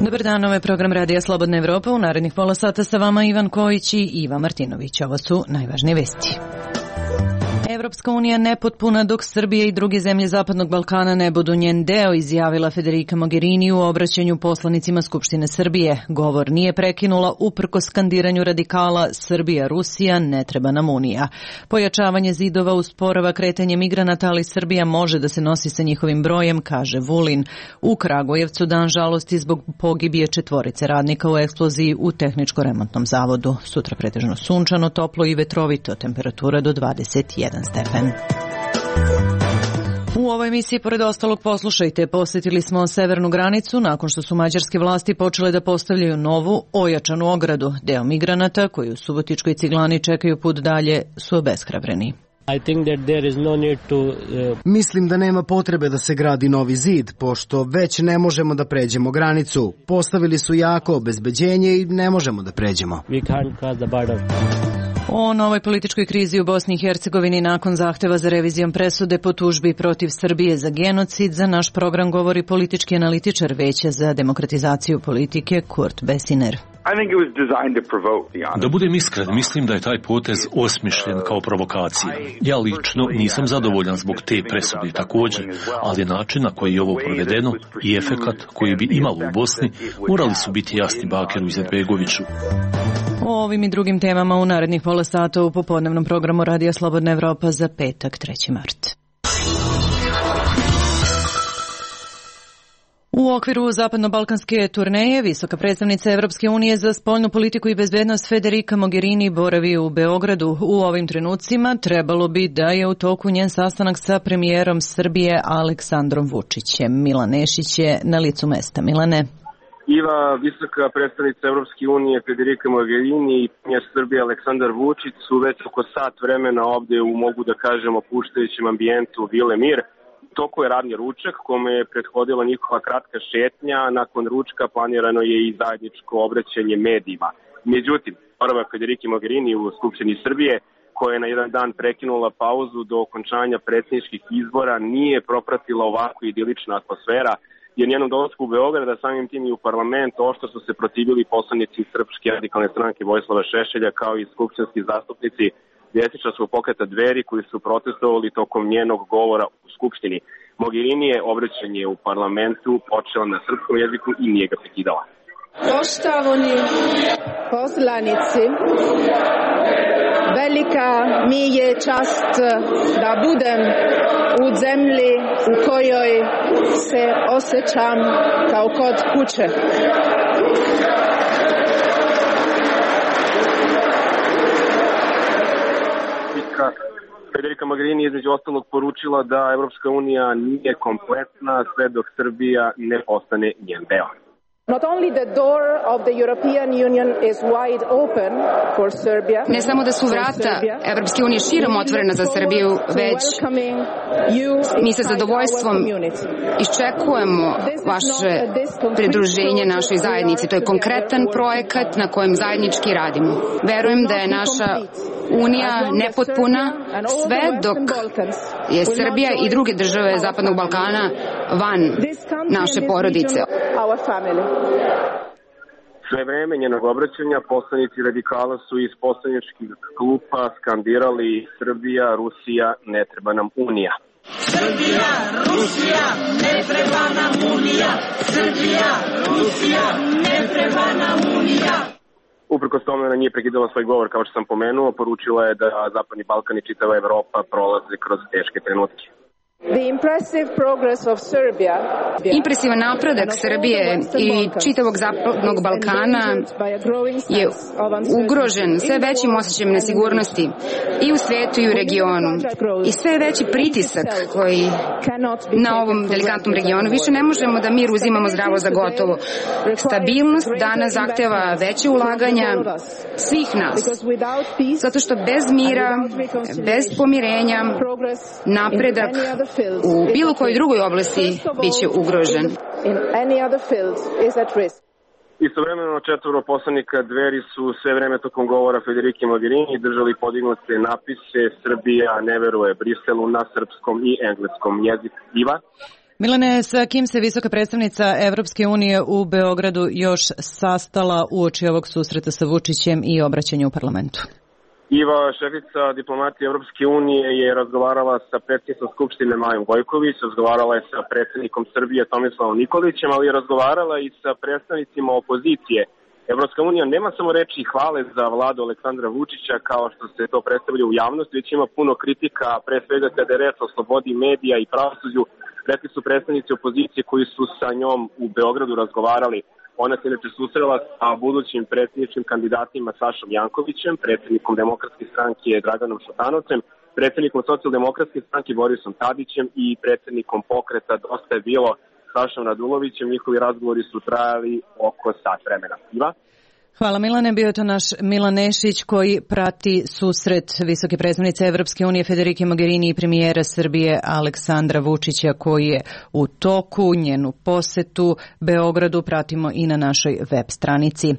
Dobar dan, ovo je program Radija Slobodna Evropa. U narednih pola sata sa vama Ivan Kojić i Iva Martinović. Ovo su najvažnije vesti. Evropska unija nepotpuna dok Srbija i druge zemlje Zapadnog Balkana ne budu njen deo, izjavila Federica Mogherini u obraćanju poslanicima Skupštine Srbije. Govor nije prekinula uprkos skandiranju radikala Srbija, Rusija, ne treba nam unija. Pojačavanje zidova usporava kretanje migranata, ali Srbija može da se nosi sa njihovim brojem, kaže Vulin. U Kragujevcu dan žalosti zbog pogibije 4 radnika u eksploziji u tehničko-remontnom zavodu. Sutra pretežno sunčano, toplo i vetrovito, temperatura do 21 stepen. U ovoj emisiji, pored ostalog, poslušajte, posjetili smo severnu granicu nakon što su mađarske vlasti počele da postavljaju novu, ojačanu ogradu. Deo migranata koji u Subotičkoj Ciglani čekaju put dalje su obeshrabreni. Mislim da nema potrebe da se gradi novi zid, pošto već ne možemo da pređemo granicu. Postavili su jako obezbeđenje i ne možemo da pređemo. O novoj političkoj krizi u Bosni i Hercegovini nakon zahteva za revizijom presude po tužbi protiv Srbije za genocid za naš program govori politički analitičar Veća za demokratizaciju politike Kurt Besiner. Da budem iskren, mislim da je taj potez osmišljen kao provokacija. Ja lično nisam zadovoljan zbog te presude također, ali način na koji je ovo provedeno i efekat koji bi imalo u Bosni morali su biti jasni Bakiru Izetbegoviću. O ovim i drugim temama u narednih pola sata u popodnevnom programu Radija Slobodna Evropa za petak 3. mart. U okviru zapadno-balkanske turneje visoka predstavnica Evropske unije za spoljnu politiku i bezbednost Federica Mogherini boravi u Beogradu. U ovim trenucima trebalo bi da je u toku njen sastanak sa premijerom Srbije Aleksandrom Vučićem. Milan Nešić je na licu mesta. Milane. Iva, visoka predstavnica Evropske unije Federica Mogherini i premijer Srbije Aleksandar Vučić su već oko sat vremena ovde u, mogu da kažemo, puštajućem ambijentu Vile Mir. Toku je radni ručak kome je prethodila njihova kratka šetnja, a nakon ručka planirano je i zajedničko obraćanje medijima. Međutim, prva Federica Mogherini u Skupštini Srbije, koja je na jedan dan prekinula pauzu do okončanja predsjedničkih izbora, nije propratila ovako idilična atmosfera, jer njenom dolasku u Beograd, a samim tim i u parlament, oštro su se protivili poslanici Srpske radikalne stranke Vojislava Šešelja, kao i skupštinski zastupnici desničarskog pokreta Dveri, koji su protestovali tokom njenog govora u Skupštini. Mogherini je obraćanje u parlamentu počela na srpskom jeziku i nije ga prekidala. Poštovani poslanici, velika mi je čast da budem u zemlji u kojoj se osjećam kao kod kuće. Federica Mogherini između ostalog poručila da Evropska unija nije kompletna sve dok Srbija ne postane njen deo. Not only the door of the European Union is wide open for Serbia. Ne samo da su vrata Evropske unije širom otvorena za Srbiju, već mi sa zadovoljstvom iščekujemo vaše pridruženje našoj zajednici. To je konkretan projekat na kojem zajednički radimo. Verujem da je naša Unija nepotpuna sve dok je Srbija i druge države Zapadnog Balkana van naše porodice. Sve vreme njenog obraćanja poslanici radikala su iz poslaničkih klupa skandirali Srbija, Rusija, ne treba nam Unija. Srbija, Rusija, ne treba nam Unija. Srbija, Rusija, ne treba nam Unija. Uprkos tome ona nije prekidala svoj govor, kao što sam pomenuo, poručila je da Zapadni Balkan i čitava Evropa prolaze kroz teške trenutke. Impresivan napredak Srbije i čitavog Zapadnog Balkana je ugrožen sve većim osjećajem nesigurnosti i u svetu i u regionu. I sve veći pritisak koji na ovom delikatnom regionu. Više ne možemo da mir uzimamo zdravo za gotovo. Stabilnost danas zahteva veće ulaganja svih nas. Zato što bez mira, bez pomirenja, napredak u bilo kojoj drugoj oblasti biće ugrožen. Istovremeno 4 poslanika Dveri su sve vreme tokom govora Federica Mogherini držali podignute napise Srbija ne veruje Briselu na srpskom i engleskom jeziku. Iva? Milane, sa kim se visoka predstavnica Evropske unije u Beogradu još sastala uoči ovog susreta sa Vučićem i obraćanja u parlamentu? Iva, šefica diplomatije Evropske unije, je razgovarala sa predsjednicom Skupštine Majom Gojković, razgovarala je sa predsjednikom Srbije Tomislavom Nikolićem, ali je razgovarala i sa predstavnicima opozicije. Evropska unija nema samo reči hvale za vladu Aleksandra Vučića kao što se to predstavlja u javnosti, već ima puno kritika, pre svega kada je reč o slobodi medija i pravosuđu. Rekli su predstavnici opozicije koji su sa njom u Beogradu razgovarali. Ona se inače susrela sa budućim predsjedničkim kandidatima Sašom Jankovićem, predsjednikom Demokratske stranke Draganom Šutanovcem, predsjednikom Socijaldemokratske stranke Borisom Tadićem i predsjednikom pokreta Dosta je bilo Sašom Radulovićem. Njihovi razgovori su trajali oko sat vremena. Iva? Hvala Milane, bio je to naš Milan Nešić koji prati susret visoke predstavnice Evropske unije Federike Mogherini i premijera Srbije Aleksandra Vučića koji je u toku. Njenu posetu Beogradu pratimo i na našoj web stranici.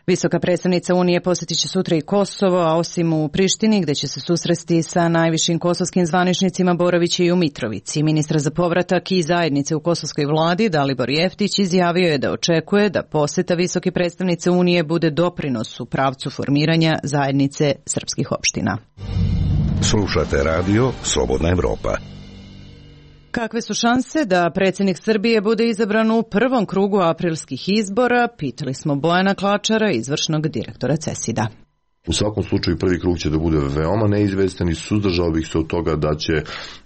Visoka predstavnica Unije posjetit će sutra i Kosovo, a osim u Prištini, gde će se susresti sa najvišim kosovskim zvaničnicima, boraviće i u Mitrovici. Ministar za povratak i zajednice u kosovskoj vladi, Dalibor Jeftić, izjavio je da očekuje da poseta visoke predstavnice Unije bude doprinos u pravcu formiranja zajednice srpskih opština. Slušate radio Slobodna Evropa. Kakve su šanse da predsjednik Srbije bude izabran u prvom krugu aprilskih izbora? Pitali smo Bojana Klačara, izvršnog direktora CESID-a. U svakom slučaju prvi krug će da bude veoma neizvestan i suzdržao bih se od toga da će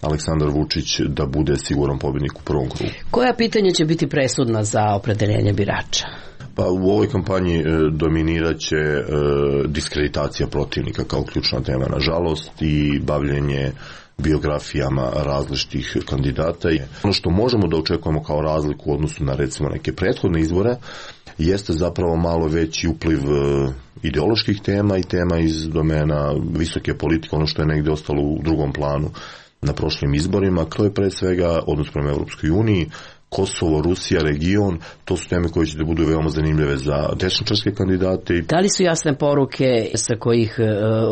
Aleksandar Vučić da bude siguran pobjednik u prvom krugu. Koja pitanja će biti presudna za opredeljenje birača? Pa u ovoj kampanji dominiraće diskreditacija protivnika kao ključna tema, nažalost, i bavljenje biografijama različitih kandidata. Ono što možemo da očekujemo kao razliku u odnosu na recimo neke prethodne izbore jeste zapravo malo veći upliv ideoloških tema i tema iz domena visoke politike, ono što je negdje ostalo u drugom planu na prošlim izborima. To je pre svega odnos prema Evropskoj uniji, Kosovo, Rusija, region, to su teme koje će da budu veoma zanimljive za desničarske kandidate. Da li su jasne poruke sa kojih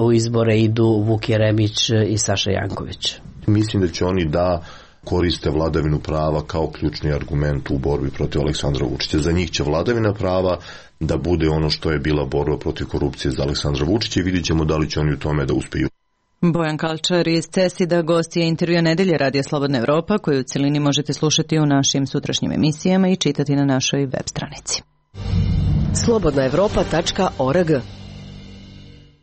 u izbore idu Vuk Jeremić i Saša Janković? Mislim da će oni da koriste vladavinu prava kao ključni argument u borbi protiv Aleksandra Vučića. Za njih će vladavina prava da bude ono što je bila borba protiv korupcije za Aleksandra Vučića i vidjet ćemo da li će oni u tome da uspiju. Bojan Kalčar iz CESID-a gost je intervjua Nedelje Radija Slobodna Evropa, koju u celini možete slušati u našim sutrašnjim emisijama i čitati na našoj web stranici. slobodnaevropa.org.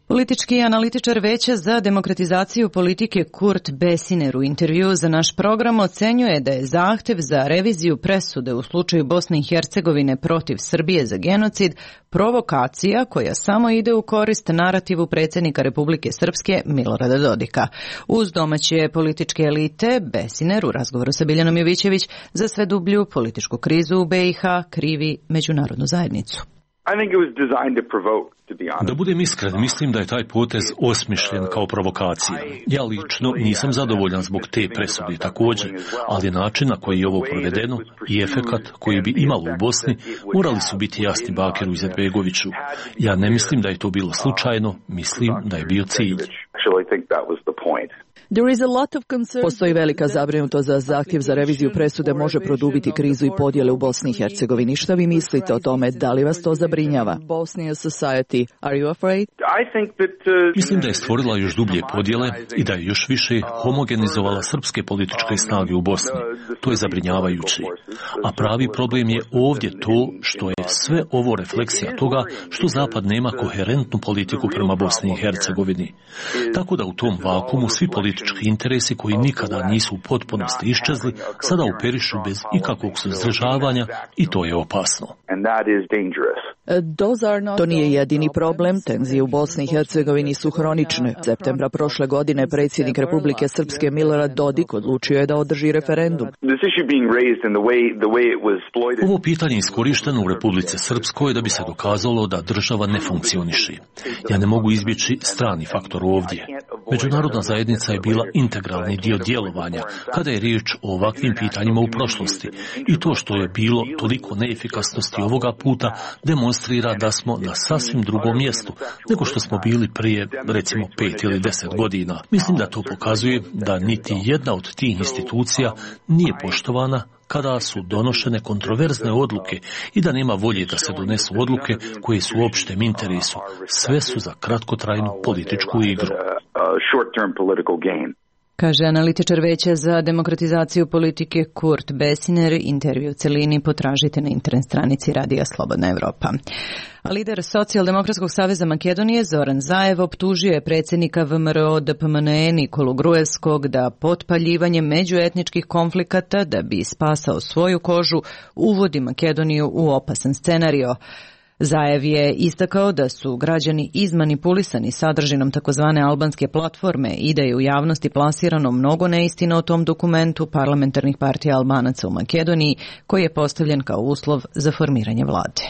Politički analitičar Veća za demokratizaciju politike Kurt Besiner u intervju za naš program ocenjuje da je zahtev za reviziju presude u slučaju Bosne i Hercegovine protiv Srbije za genocid provokacija koja samo ide u korist narativu predsjednika Republike Srpske Milorada Dodika. Uz domaće političke elite, Besiner u razgovoru sa Biljanom Jovićević za sve dublju političku krizu u BiH krivi međunarodnu zajednicu. Da budem iskren, mislim da je taj potez osmišljen kao provokacija. Ja lično nisam zadovoljan zbog te presude također, ali način na koji je ovo provedeno i efekat koji bi imalo u Bosni morali su biti jasni Bakiru Izetbegoviću. Ja ne mislim da je to bilo slučajno, mislim da je bio cilj. Postoji velika zabrinutost da zahtjev za reviziju presude može produbiti krizu i podjele u Bosni i Hercegovini. Šta vi mislite o tome? Da li vas to zabrinjava? Mislim da je stvorila još dublje podjele i da je još više homogenizovala srpske političke snage u Bosni. To je zabrinjavajuće. A pravi problem je ovdje to što je sve ovo refleksija toga što Zapad nema koherentnu politiku prema Bosni i Hercegovini. Tako da u tom vakumu svi politički interesi koji nikada nisu u potpunosti iščezli sada operišu bez ikakvog suzdržavanja i to je opasno. To nije jedini problem. Tenzije u Bosni i Hercegovini su hronične. Septembra prošle godine predsjednik Republike Srpske Milorad Dodik odlučio je da održi referendum. Ovo pitanje je iskorišteno u Republici Srpskoj da bi se dokazalo da država ne funkcioniše. Ja ne mogu izbjeći strani faktor ovdje. Međunarodna zajednica je bila integralni dio djelovanja kada je riječ o ovakvim pitanjima u prošlosti i to što je bilo toliko neefikasnosti ovoga puta demonstrira demonstrira da smo na sasvim drugom mjestu nego što smo bili prije, recimo, 5 ili 10 godina. Mislim da to pokazuje da niti jedna od tih institucija nije poštovana kada su donošene kontroverzne odluke i da nema volje da se donesu odluke koje su u opštem interesu. Sve su za kratkotrajnu političku igru. Kaže analitičar Veća za demokratizaciju politike Kurt Besiner. Intervju u celini potražite na internet stranici Radija Slobodna Evropa. A lider Socijaldemokratskog saveza Makedonije Zoran Zaev optužio je predsjednika VMRO DPMNE Nikolu Gruevskog da potpaljivanjem međuetničkih konflikata da bi spasao svoju kožu uvodi Makedoniju u opasan scenario. Zaev je istakao da su građani izmanipulisani sadržinom takozvane albanske platforme i da je u javnosti plasirano mnogo neistina o tom dokumentu parlamentarnih partija Albanaca u Makedoniji koji je postavljen kao uslov za formiranje vlade.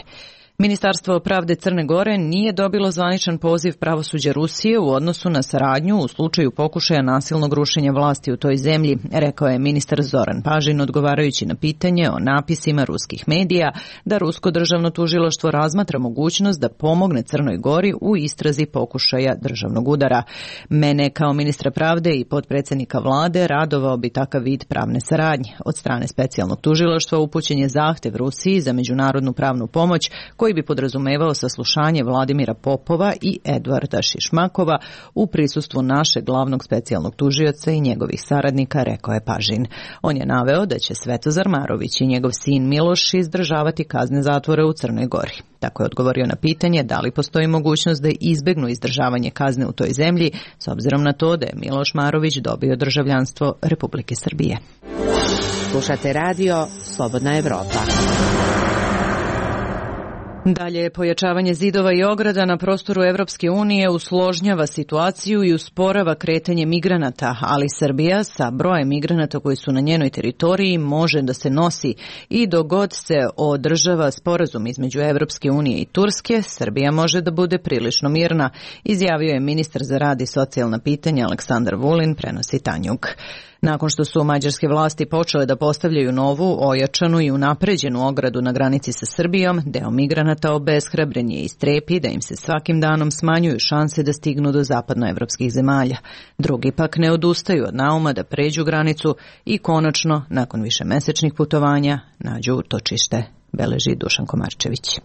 Ministarstvo pravde Crne Gore nije dobilo zvaničan poziv pravosuđa Rusije u odnosu na saradnju u slučaju pokušaja nasilnog rušenja vlasti u toj zemlji, rekao je ministar Zoran Pažin odgovarajući na pitanje o napisima ruskih medija da Rusko državno tužilaštvo razmatra mogućnost da pomogne Crnoj Gori u istrazi pokušaja državnog udara. Mene kao ministra pravde i potpredsjednika vlade radovao bi takav vid pravne saradnje. Od strane specijalnog tužilaštva upućen je zahtev Rusiji za međunarodnu pravnu pomoć koji bi podrazumevao saslušanje Vladimira Popova i Edvarda Šišmakova u prisustvu našeg glavnog specijalnog tužioca i njegovih saradnika, rekao je Pažin. On je naveo da će Svetozar Marović i njegov sin Miloš izdržavati kazne zatvora u Crnoj Gori. Tako je odgovorio na pitanje da li postoji mogućnost da izbegnu izdržavanje kazne u toj zemlji, s obzirom na to da je Miloš Marović dobio državljanstvo Republike Srbije. Slušate radio Slobodna Evropa. Dalje, pojačavanje zidova i ograda na prostoru Evropske unije usložnjava situaciju i usporava kretanje migranata, ali Srbija sa brojem migranata koji su na njenoj teritoriji može da se nosi i dok god se održava sporazum između Evropske unije i Turske, Srbija može da bude prilično mirna, izjavio je ministar za rad i socijalna pitanja Aleksandar Vulin, prenosi Tanjug. Nakon što su mađarske vlasti počele da postavljaju novu, ojačanu i unapređenu ogradu na granici sa Srbijom, deo migranata obeshrabren je i strepi da im se svakim danom smanjuju šanse da stignu do zapadnoevropskih zemalja. Drugi pak ne odustaju od nauma da pređu granicu i konačno, nakon višemesečnih putovanja, nađu utočište, beleži Dušan Komarčević.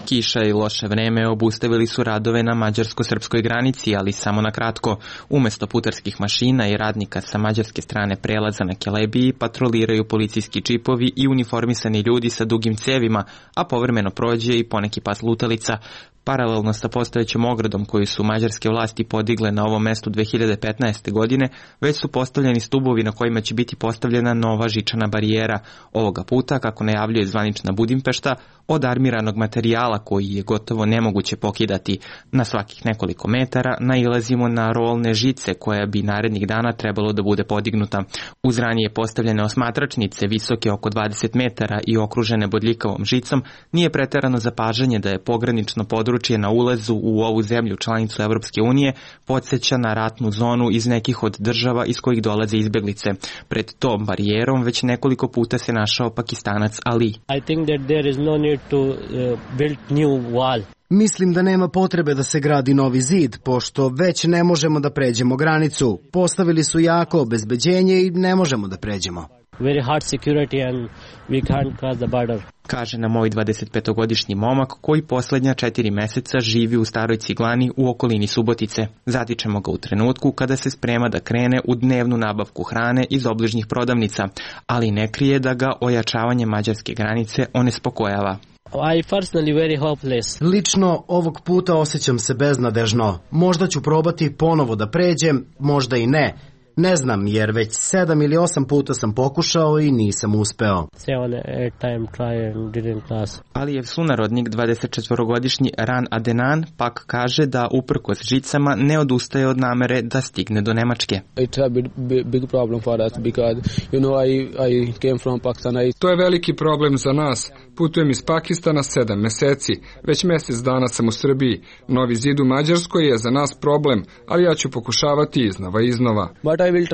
Kiša i loše vreme obustavili su radove na mađarsko-srpskoj granici, ali samo na kratko. Umesto putarskih mašina i radnika sa mađarske strane prelaza na Kelebiji patroliraju policijski džipovi i uniformisani ljudi sa dugim cevima, a povremeno prođe i poneki pas lutalica. Paralelno sa postojećom ogradom koju su mađarske vlasti podigle na ovom mestu 2015. godine, već su postavljeni stubovi na kojima će biti postavljena nova žičana barijera. Ovoga puta, kako najavljuje zvanična Budimpešta, od armiranog materijala koji je gotovo nemoguće pokidati. Na svakih nekoliko metara nailazimo na rolne žice koja bi narednih dana trebalo da bude podignuta. Uz ranije postavljene osmatračnice visoke oko 20 metara i okružene bodljikavom žicom, nije preterano zapažanje da je pogranično područje na ulazu u ovu zemlju članicu Evropske unije podsjeća na ratnu zonu iz nekih od država iz kojih dolaze izbeglice. Pred tom barijerom već nekoliko puta se našao Pakistanac Ali. I think that there is no need to build new wall. Mislim da nema potrebe da se gradi novi zid, pošto već ne možemo da pređemo granicu. Postavili su jako obezbeđenje i ne možemo da pređemo. Very hard security and we can't cross the border. Kaže nam moj 25-godišnji momak koji posljednja 4 meseca živi u Staroj Ciglani u okolini Subotice. Zatičemo ga u trenutku kada se sprema da krene u dnevnu nabavku hrane iz obližnjih prodavnica, ali ne krije da ga ojačavanje mađarske granice onespokojava. I personally very hopeless. Lično ovog puta osjećam se beznadežno. Možda ću probati ponovo da pređem, možda i ne. Ne znam, jer već 7 ili 8 puta sam pokušao i nisam uspeo. Alijev sunarodnik, 24-godišnji Ran Adenan, pak kaže da uprkos žicama ne odustaje od namere da stigne do Nemačke. To je veliki problem za nas, Putujem iz Pakistana 7 meseci. Već mjesec dana sam u Srbiji. Novi zid u Mađarskoj je za nas problem, ali ja ću pokušavati iznova. But I will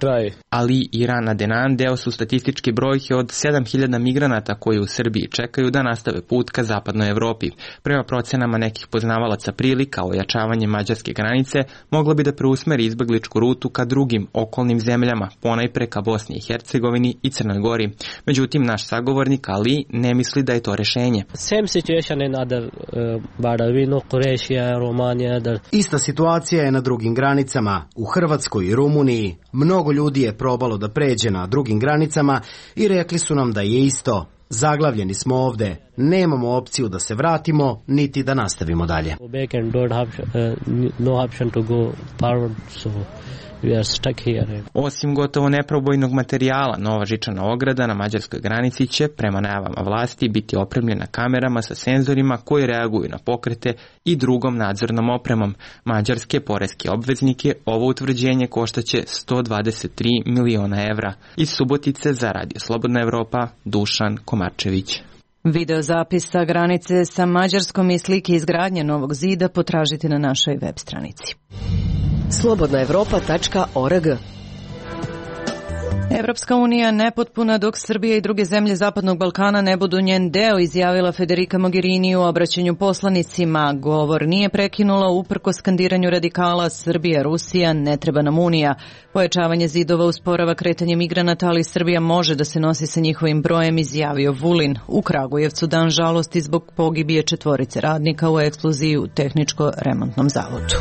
try. Ali Iran Adenan deo su statističke brojke od 7000 migranata koji u Srbiji čekaju da nastave put ka zapadnoj Evropi. Prema procenama nekih poznavalaca prilika, ojačavanje mađarske granice moglo bi da preusmeri izbegličku rutu ka drugim okolnim zemljama, ponajpre ka Bosni i Hercegovini i Crnoj Gori. Međutim, naš sagovornik Ali ne misli da je to rešenje. Same situation in other border. We know Croatia, Romania. Ista situacija je na drugim granicama. U Hrvatskoj i Rumuniji mnogo ljudi je probalo da pređe na drugim granicama i rekli su nam da je isto. Zaglavljeni smo ovde. Nemamo opciju da se vratimo, niti da nastavimo dalje. Osim gotovo neprobojnog materijala, nova žičana ograda na mađarskoj granici će, prema najavama vlasti, biti opremljena kamerama sa senzorima koji reaguju na pokrete i drugom nadzornom opremom. Mađarske poreske obveznike ovo utvrđenje koštaće 123 miliona evra. Iz Subotice za Radio Slobodna Evropa, Dušan Komarčević. Video zapis sa granice sa Mađarskom i slike izgradnje novog zida potražite na našoj web stranici. slobodnaevropa.org. Evropska unija nepotpuna dok Srbija i druge zemlje Zapadnog Balkana ne budu njen deo, izjavila Federica Mogherini u obraćanju poslanicima. Govor nije prekinula uprkos skandiranju radikala Srbija, Rusija, ne treba nam unija. Pojačavanje zidova usporava kretanje migranata, ali Srbija može da se nosi sa njihovim brojem, izjavio Vulin. U Kragujevcu dan žalosti zbog pogibije 4 radnika u eksploziji u tehničko-remontnom zavodu.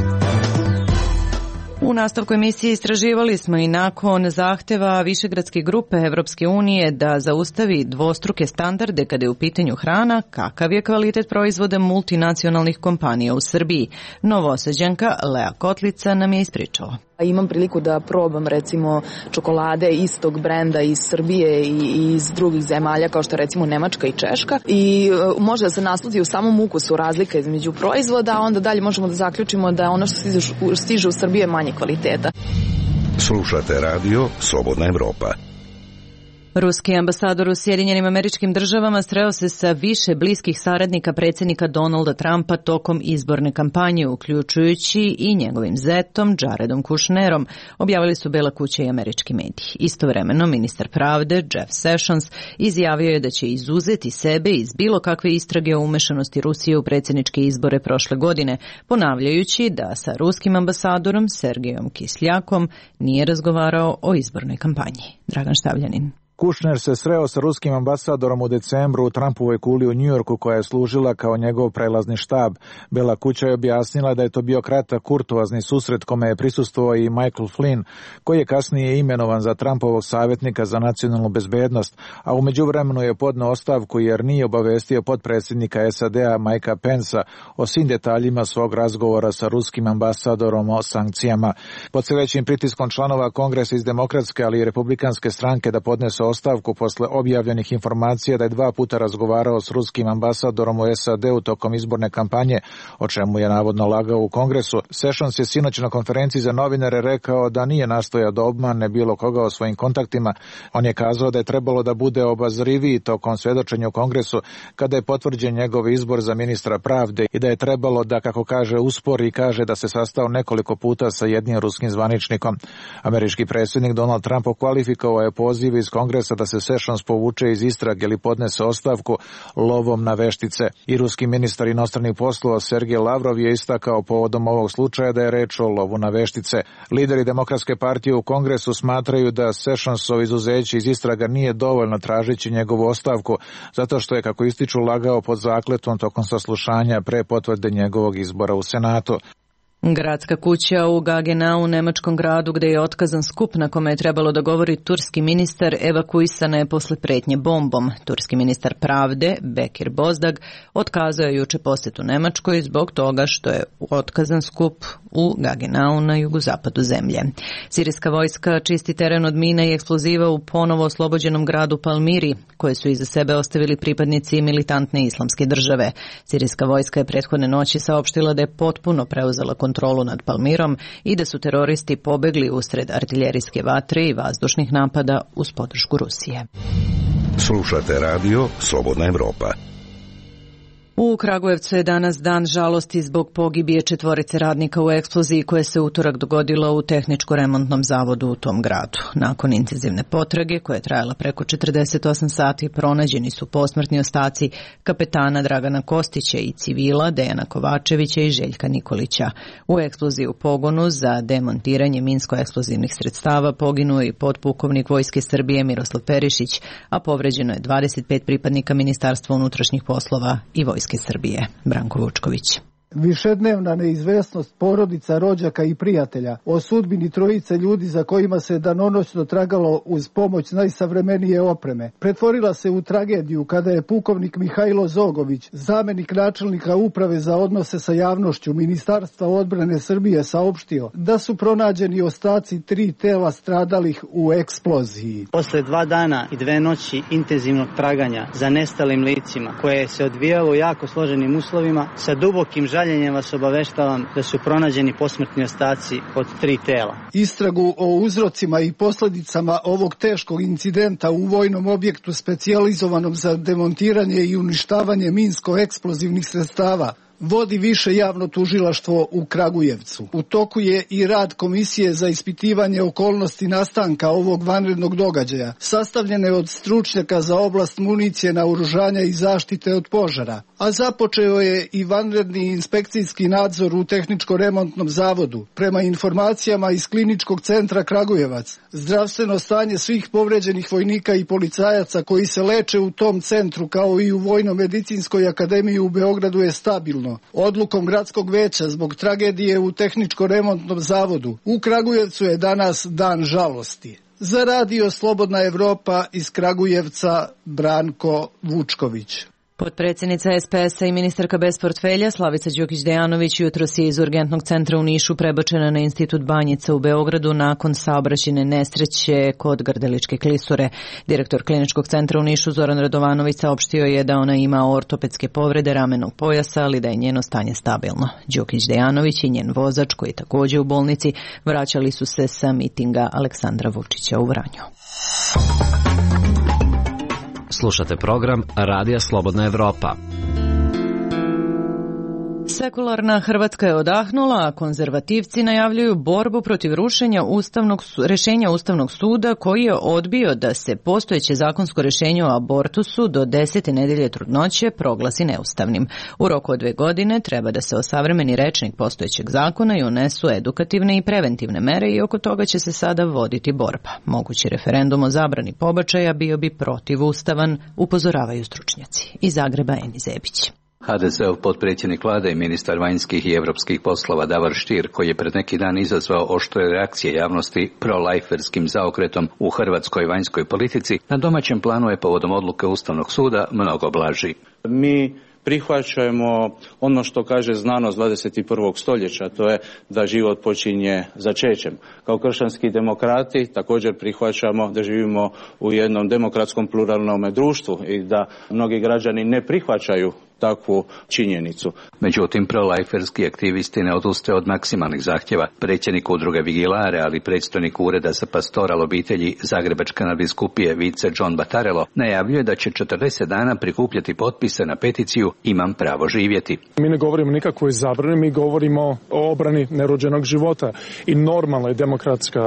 U nastavku emisije istraživali smo i nakon zahteva Višegradske grupe Evropske unije da zaustavi dvostruke standarde kada je u pitanju hrana, kakav je kvalitet proizvoda multinacionalnih kompanija u Srbiji. Novosađanka Lea Kotlica nam je ispričala. Imam priliku da probam recimo čokolade istog brenda iz Srbije i iz drugih zemalja kao što recimo Nemačka i Češka i može da se nasludi u samom ukusu razlika između proizvoda, a onda dalje možemo da zaključimo da ono što stiže u Srbiju je manje kvaliteta. Slušate radio Slobodna Evropa. Ruski ambasador u Sjedinjenim Američkim Državama sreo se sa više bliskih saradnika predsjednika Donalda Trumpa tokom izborne kampanje, uključujući i njegovim zetom Jaredom Kushnerom, objavili su Bela kuća i američki mediji. Istovremeno, ministar pravde Jeff Sessions izjavio je da će izuzeti sebe iz bilo kakve istrage o umešanosti Rusije u predsjedničke izbore prošle godine, ponavljajući da sa ruskim ambasadorom Sergejom Kisljakom nije razgovarao o izbornoj kampanji. Dragan Štavljanin. Kushner se sreo sa ruskim ambasadorom u decembru u Trumpovoj kuli u Njujorku koja je služila kao njegov prelazni štab. Bela kuća je objasnila da je to bio kratak kurtoazni susret kome je prisustvovao i Michael Flynn, koji je kasnije imenovan za Trumpovog savjetnika za nacionalnu bezbednost, a u međuvremenu je podneo ostavku jer nije obavestio potpredsjednika SAD-a Mikea Pensa o svim detaljima svog razgovora sa ruskim ambasadorom o sankcijama. Pod sve većim pritiskom članova Kongresa iz demokratske, ali i republikanske stranke da podnese ostavku posle objavljenih informacija da je 2 puta razgovarao s ruskim ambasadorom u SAD-u tokom izborne kampanje, o čemu je navodno lagao u Kongresu. Sessions je sinoć na konferenciji za novinare rekao da nije nastojao da obmane bilo koga o svojim kontaktima. On je kazao da je trebalo da bude obazriviji tokom svedočenja u Kongresu kada je potvrđen njegov izbor za ministra pravde i da je trebalo da, kako kaže, uspori i kaže da se sastao nekoliko puta sa jednim ruskim zvaničnikom. Američki predsjednik Donald Trump okvalifikovao je poziv iz Kongresa da se Sessions povuče iz istrage ili podnese ostavku lovom na veštice. I ruski ministar inostranih poslova Sergej Lavrov je istakao povodom ovog slučaja da je reč o lovu na veštice. Lideri Demokratske partije u Kongresu smatraju da Sessionsov izuzeće iz istraga nije dovoljno tražeći njegovu ostavku, zato što je, kako ističu, lagao pod zakletvom tokom saslušanja pre potvrde njegovog izbora u Senatu. Gradska kuća u Gagenau, nemačkom gradu gde je otkazan skup na kome je trebalo da govori turski ministar, evakuisana je posle pretnje bombom. Turski ministar pravde, Bekir Bozdag, otkazao je juče posjetu Nemačkoj zbog toga što je otkazan skup u Gagenau na jugozapadu zemlje. Sirijska vojska čisti teren od mina i eksploziva u ponovo oslobođenom gradu Palmiri, koje su iza sebe ostavili pripadnici militantne islamske države. Sirijska vojska je prethodne noći saopštila da je potpuno preuzela kontrolu nad Palmirom i da su teroristi pobegli usred artiljerijske vatre i vazdušnih napada uz podršku Rusije. Slušate radio Slobodna Evropa. U Kragujevcu je danas dan žalosti zbog pogibije 4 radnika u eksploziji koja se utorak dogodila u tehničko-remontnom zavodu u tom gradu. Nakon intenzivne potrage koja je trajala preko 48 sati pronađeni su posmrtni ostaci kapetana Dragana Kostića i civila Dejana Kovačevića i Željka Nikolića. U eksploziji u pogonu za demontiranje minsko-eksplozivnih sredstava poginuo je i potpukovnik Vojske Srbije Miroslav Perišić, a povređeno je 25 pripadnika Ministarstva unutrašnjih poslova i Vojske Srbije. Branko Vučković. Višednevna neizvesnost porodica, rođaka i prijatelja o sudbini 3 ljudi za kojima se danonoćno tragalo uz pomoć najsavremenije opreme pretvorila se u tragediju kada je pukovnik Mihajlo Zogović, zamenik načelnika Uprave za odnose sa javnošću Ministarstva odbrane Srbije, saopštio da su pronađeni ostaci 3 tela stradalih u eksploziji. Posle 2 dana i 2 noći intenzivnog traganja za nestalim licima koje se odvijalo u jako složenim uslovima, sa dubokim žaljenjem vas obaveštavam da su pronađeni posmrtni ostaci od 3 tela. Istragu o uzrocima i posljedicama ovog teškog incidenta u vojnom objektu specijalizovanom za demontiranje i uništavanje minsko-eksplozivnih sredstava vodi Više javno tužilaštvo u Kragujevcu. U toku je i rad Komisije za ispitivanje okolnosti nastanka ovog vanrednog događaja, sastavljene od stručnjaka za oblast municije, naoružanja i zaštite od požara. A započeo je i vanredni inspekcijski nadzor u tehničko-remontnom zavodu. Prema informacijama iz Kliničkog centra Kragujevac, zdravstveno stanje svih povređenih vojnika i policajaca koji se leče u tom centru, kao i u Vojno-medicinskoj akademiji u Beogradu, je stabilno. Odlukom gradskog veća zbog tragedije u tehničko-remontnom zavodu u Kragujevcu je danas dan žalosti. Za radio Slobodna Evropa iz Kragujevca, Branko Vučković. Potpredsjednica SPS-a i ministarka bez portfelja Slavica Đukić-Dejanović jutros je iz urgentnog centra u Nišu prebačena na Institut Banjica u Beogradu nakon saobraćajne nesreće kod Grdeličke klisure. Direktor Kliničkog centra u Nišu Zoran Radovanović saopštio je da ona ima ortopedske povrede ramenog pojasa, ali da je njeno stanje stabilno. Đukić-Dejanović i njen vozač, koji je također u bolnici, vraćali su se sa mitinga Aleksandra Vučića u Vranju. Slušate program Radija Slobodna Evropa. Sekularna Hrvatska je odahnula, a konzervativci najavljuju borbu protiv rušenja rešenja Ustavnog suda koji je odbio da se postojeće zakonsko rešenje o abortusu do 10. nedelje trudnoće proglasi neustavnim. U roku od 2 godine treba da se osavremeni rečnik postojećeg zakona i unesu edukativne i preventivne mere i oko toga će se sada voditi borba. Mogući referendum o zabrani pobačaja bio bi protivustavan, upozoravaju stručnjaci. Iz Zagreba Eni Zebić. HDZ-ov potpredsjednik vlade i ministar vanjskih i europskih poslova Davor Stier, koji je pred neki dan izazvao oštre reakcije javnosti pro-lajferskim zaokretom u hrvatskoj vanjskoj politici, na domaćem planu je povodom odluke Ustavnog suda mnogo blaži. Mi prihvaćamo ono što kaže znanost 21. stoljeća, to je da život počinje začećem. Kao kršćanski demokrati također prihvaćamo da živimo u jednom demokratskom pluralnom društvu i da mnogi građani ne prihvaćaju takvu činjenicu. Međutim, pro-lajferski aktivisti ne odustaje od maksimalnih zahtjeva. Predsjednik udruge Vigilare, ali predstojnik Ureda za pastoral obitelji Zagrebačke nadbiskupije Vice John Batarello najavljuje da će 40 dana prikupljati potpise na peticiju Imam pravo živjeti. Mi ne govorimo nikakvoj zabrani, mi govorimo o obrani nerođenog života i normalna je demokratska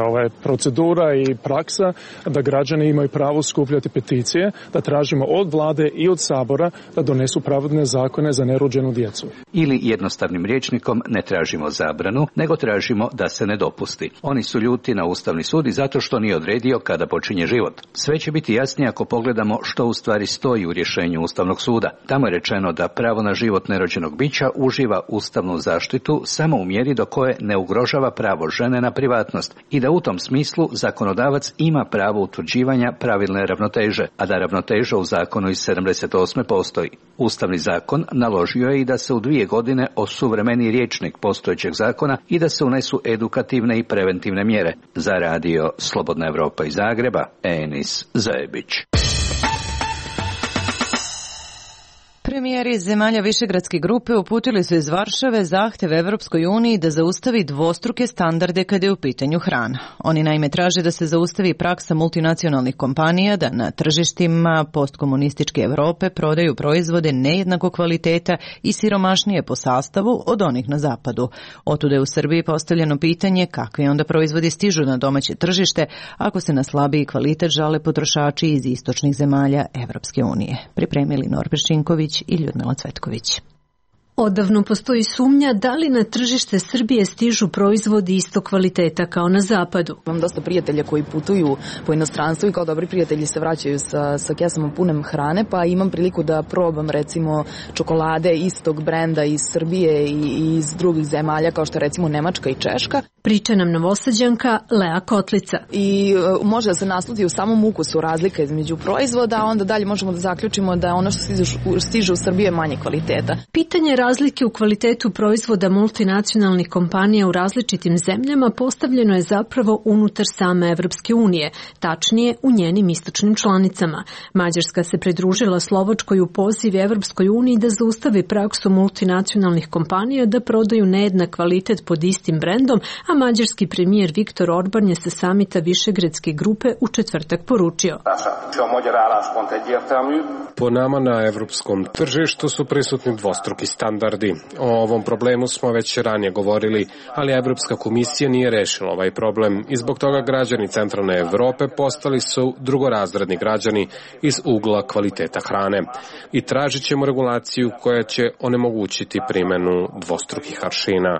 procedura i praksa da građani imaju pravo skupljati peticije, da tražimo od vlade i od sabora da donesu pravedne zakone za nerođenu djecu. Ili jednostavnim rječnikom ne tražimo zabranu, nego tražimo da se ne dopusti. Oni su ljuti na Ustavni sud i zato što nije odredio kada počinje život. Sve će biti jasnije ako pogledamo što u stvari stoji u rješenju Ustavnog suda. Tamo je rečeno da pravo na život nerođenog bića uživa ustavnu zaštitu samo u mjeri do koje ne ugrožava pravo žene na privatnost i da u tom smislu zakonodavac ima pravo utvrđivanja pravilne ravnoteže, a da ravnoteža u zakonu iz 78. postoji. Ustavni zakon naložio je i da se u 2 godine osuvremeni rječnik postojećeg zakona i da se unesu edukativne i preventivne mjere. Za radio Slobodna Evropa iz Zagreba, Enis Zajebić. Premijeri zemalja Višegradske grupe uputili su iz Varšave zahtev Evropskoj uniji da zaustavi dvostruke standarde kada je u pitanju hrana. Oni naime traže da se zaustavi praksa multinacionalnih kompanija da na tržištima postkomunističke Evrope prodaju proizvode nejednakog kvaliteta i siromašnije po sastavu od onih na zapadu. Otuda je u Srbiji postavljeno pitanje kakvi onda proizvodi stižu na domaće tržište ako se na slabiji kvalitet žale potrošači iz istočnih zemalja Evropske unije. Pripremili Norbert Šinković i Ljudmila Cvetković. Odavno postoji sumnja da li na tržište Srbije stižu proizvodi istog kvaliteta kao na zapadu. Imam dosta prijatelja koji putuju po inostranstvu i kao dobri prijatelji se vraćaju sa kesama punem hrane, pa imam priliku da probam recimo čokolade istog brenda iz Srbije i iz drugih zemalja kao što recimo Nemačka i Češka. Priča nam Novosađanka Lea Kotlica. I može da se nasludi u samom ukusu razlika između proizvoda, a onda dalje možemo da zaključimo da ono što stiže u Srbiju je manje kvaliteta. Pitanje razlike u kvalitetu proizvoda multinacionalnih kompanija u različitim zemljama postavljeno je zapravo unutar same Evropske unije, tačnije u njenim istočnim članicama. Mađarska se pridružila Slovačkoj u poziv Evropskoj uniji da zaustavi praksu multinacionalnih kompanija da prodaju nejednak kvalitet pod istim brendom, a mađarski premijer Viktor Orban je sa samita Višegradske grupe u četvrtak poručio. Po nama na evropskom tržištu su prisutni dvostruki standardi. O ovom problemu smo već ranije govorili, ali Evropska komisija nije rešila ovaj problem i zbog toga građani centralne Evrope postali su drugorazredni građani iz ugla kvaliteta hrane. I tražit ćemo regulaciju koja će onemogućiti primjenu dvostrukih aršina.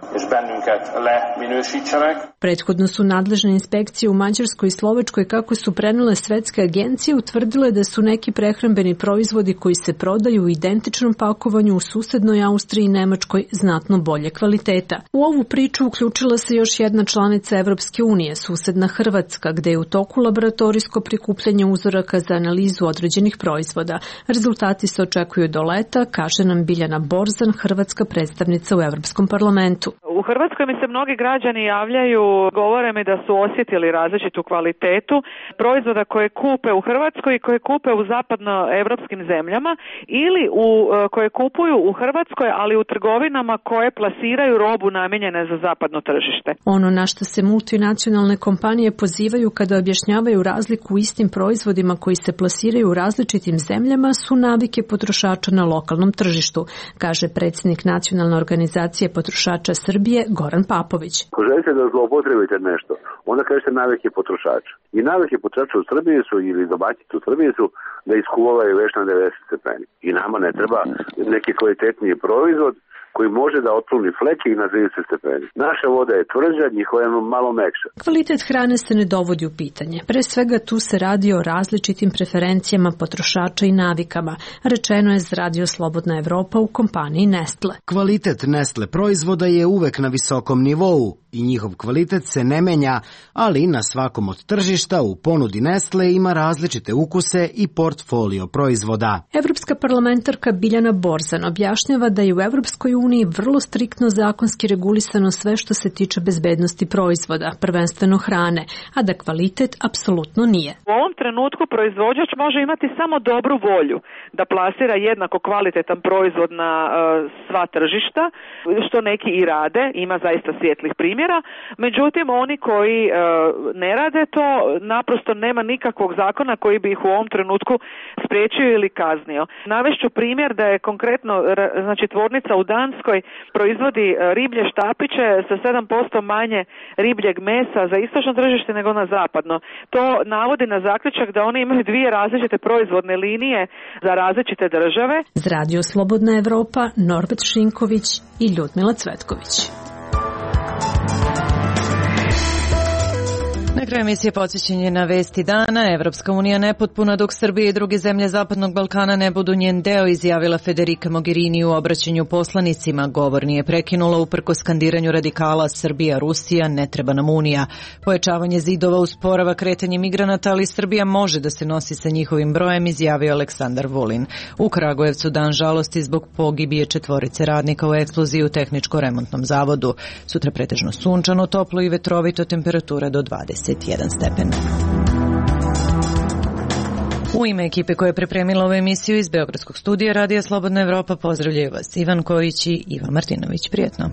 Prethodno su nadležne inspekcije u Mađarskoj i Slovačkoj, kako su prenele svetske agencije, utvrdile da su neki prehrambeni proizvodi koji se prodaju u identičnom pakovanju u susednoj Austriji i Nemačkoj znatno bolje kvaliteta. U ovu priču uključila se još jedna članica Evropske unije, susedna Hrvatska, gde je u toku laboratorijsko prikupljanje uzoraka za analizu određenih proizvoda. Rezultati se očekuju do leta, kaže nam Biljana Borzan, hrvatska predstavnica u Evropskom parlamentu. U Hrvatskoj mi se mnogi građani javljaju, govore mi da su osjetili različitu kvalitetu proizvoda koje kupe u Hrvatskoj i koje kupe u zapadnoevropskim zemljama ili koje kupuju u Hrvatskoj, ali u trgovinama koje plasiraju robu namijenjene za zapadno tržište. Ono na što se multinacionalne kompanije pozivaju kada objašnjavaju razliku u istim proizvodima koji se plasiraju u različitim zemljama su navike potrošača na lokalnom tržištu, kaže predsjednik Nacionalne organizacije potrošača Srbije Goran Papović. Ako želite da zloupotrebite nešto, onda kažete navike potrošača. I navike potrošača u Srbiji su, ili domaćice u Srbiji su, da iskuvavaju već na 90 stepeni. I nama ne treba neki kvalitetniji proizvod koji može da otkloni fleke i na 30 stepeni. Naša voda je tvrđa, njihova je malo mekša. Kvalitet hrane se ne dovodi u pitanje. Pre svega tu se radi o različitim preferencijama potrošača i navikama, rečeno je za Radio Slobodna Evropa u kompaniji Nestle. Kvalitet Nestle proizvoda je uvek na visokom nivou i njihov kvalitet se ne menja, ali na svakom od tržišta u ponudi Nestle ima različite ukuse i portfolio proizvoda. Evropska parlamentarka Biljana Borzan objašnjava da je u Evropskoj uniji vrlo striktno zakonski regulisano sve što se tiče bezbednosti proizvoda, prvenstveno hrane, a da kvalitet apsolutno nije. U ovom trenutku proizvođač može imati samo dobru volju da plasira jednako kvalitetan proizvod na sva tržišta, što neki i rade, ima zaista svijetlih primjera, međutim oni koji ne rade to, naprosto nema nikakvog zakona koji bi ih u ovom trenutku spriječio ili kaznio. Navešću primjer da je konkretno, znači tvornica u Danskoj proizvodi riblje štapiće sa 7% manje ribljeg mesa za istočno tržište nego na zapadno. To navodi na zaključak da oni imaju dvije različite proizvodne linije za različite države. Za Radio Slobodna Evropa, Norbert Šinković i Ljudmila Cvetković. Na kraju emisije podsjećanje na vesti dana. Evropska unija nepotpuna dok Srbija i druge zemlje Zapadnog Balkana ne budu njen deo, izjavila Federica Mogherini u obraćanju poslanicima. Govor nije prekinula uprkos skandiranju radikala Srbija, Rusija, ne treba nam unija. Pojačavanje zidova usporava kretanje migranata, ali Srbija može da se nosi sa njihovim brojem, izjavio Aleksandar Vulin. U Kragujevcu dan žalosti zbog pogibije 4 radnika u eksploziji u tehničko-remontnom zavodu. Sutra pretežno sunčano, toplo i vetrovito, temperatura do 21 stepen. U ime ekipe koja je pripremila ovu emisiju iz Beogradskog studija Radija Slobodna Evropa pozdravljaju vas Ivan Kojić i Iva Martinović. Prijetno.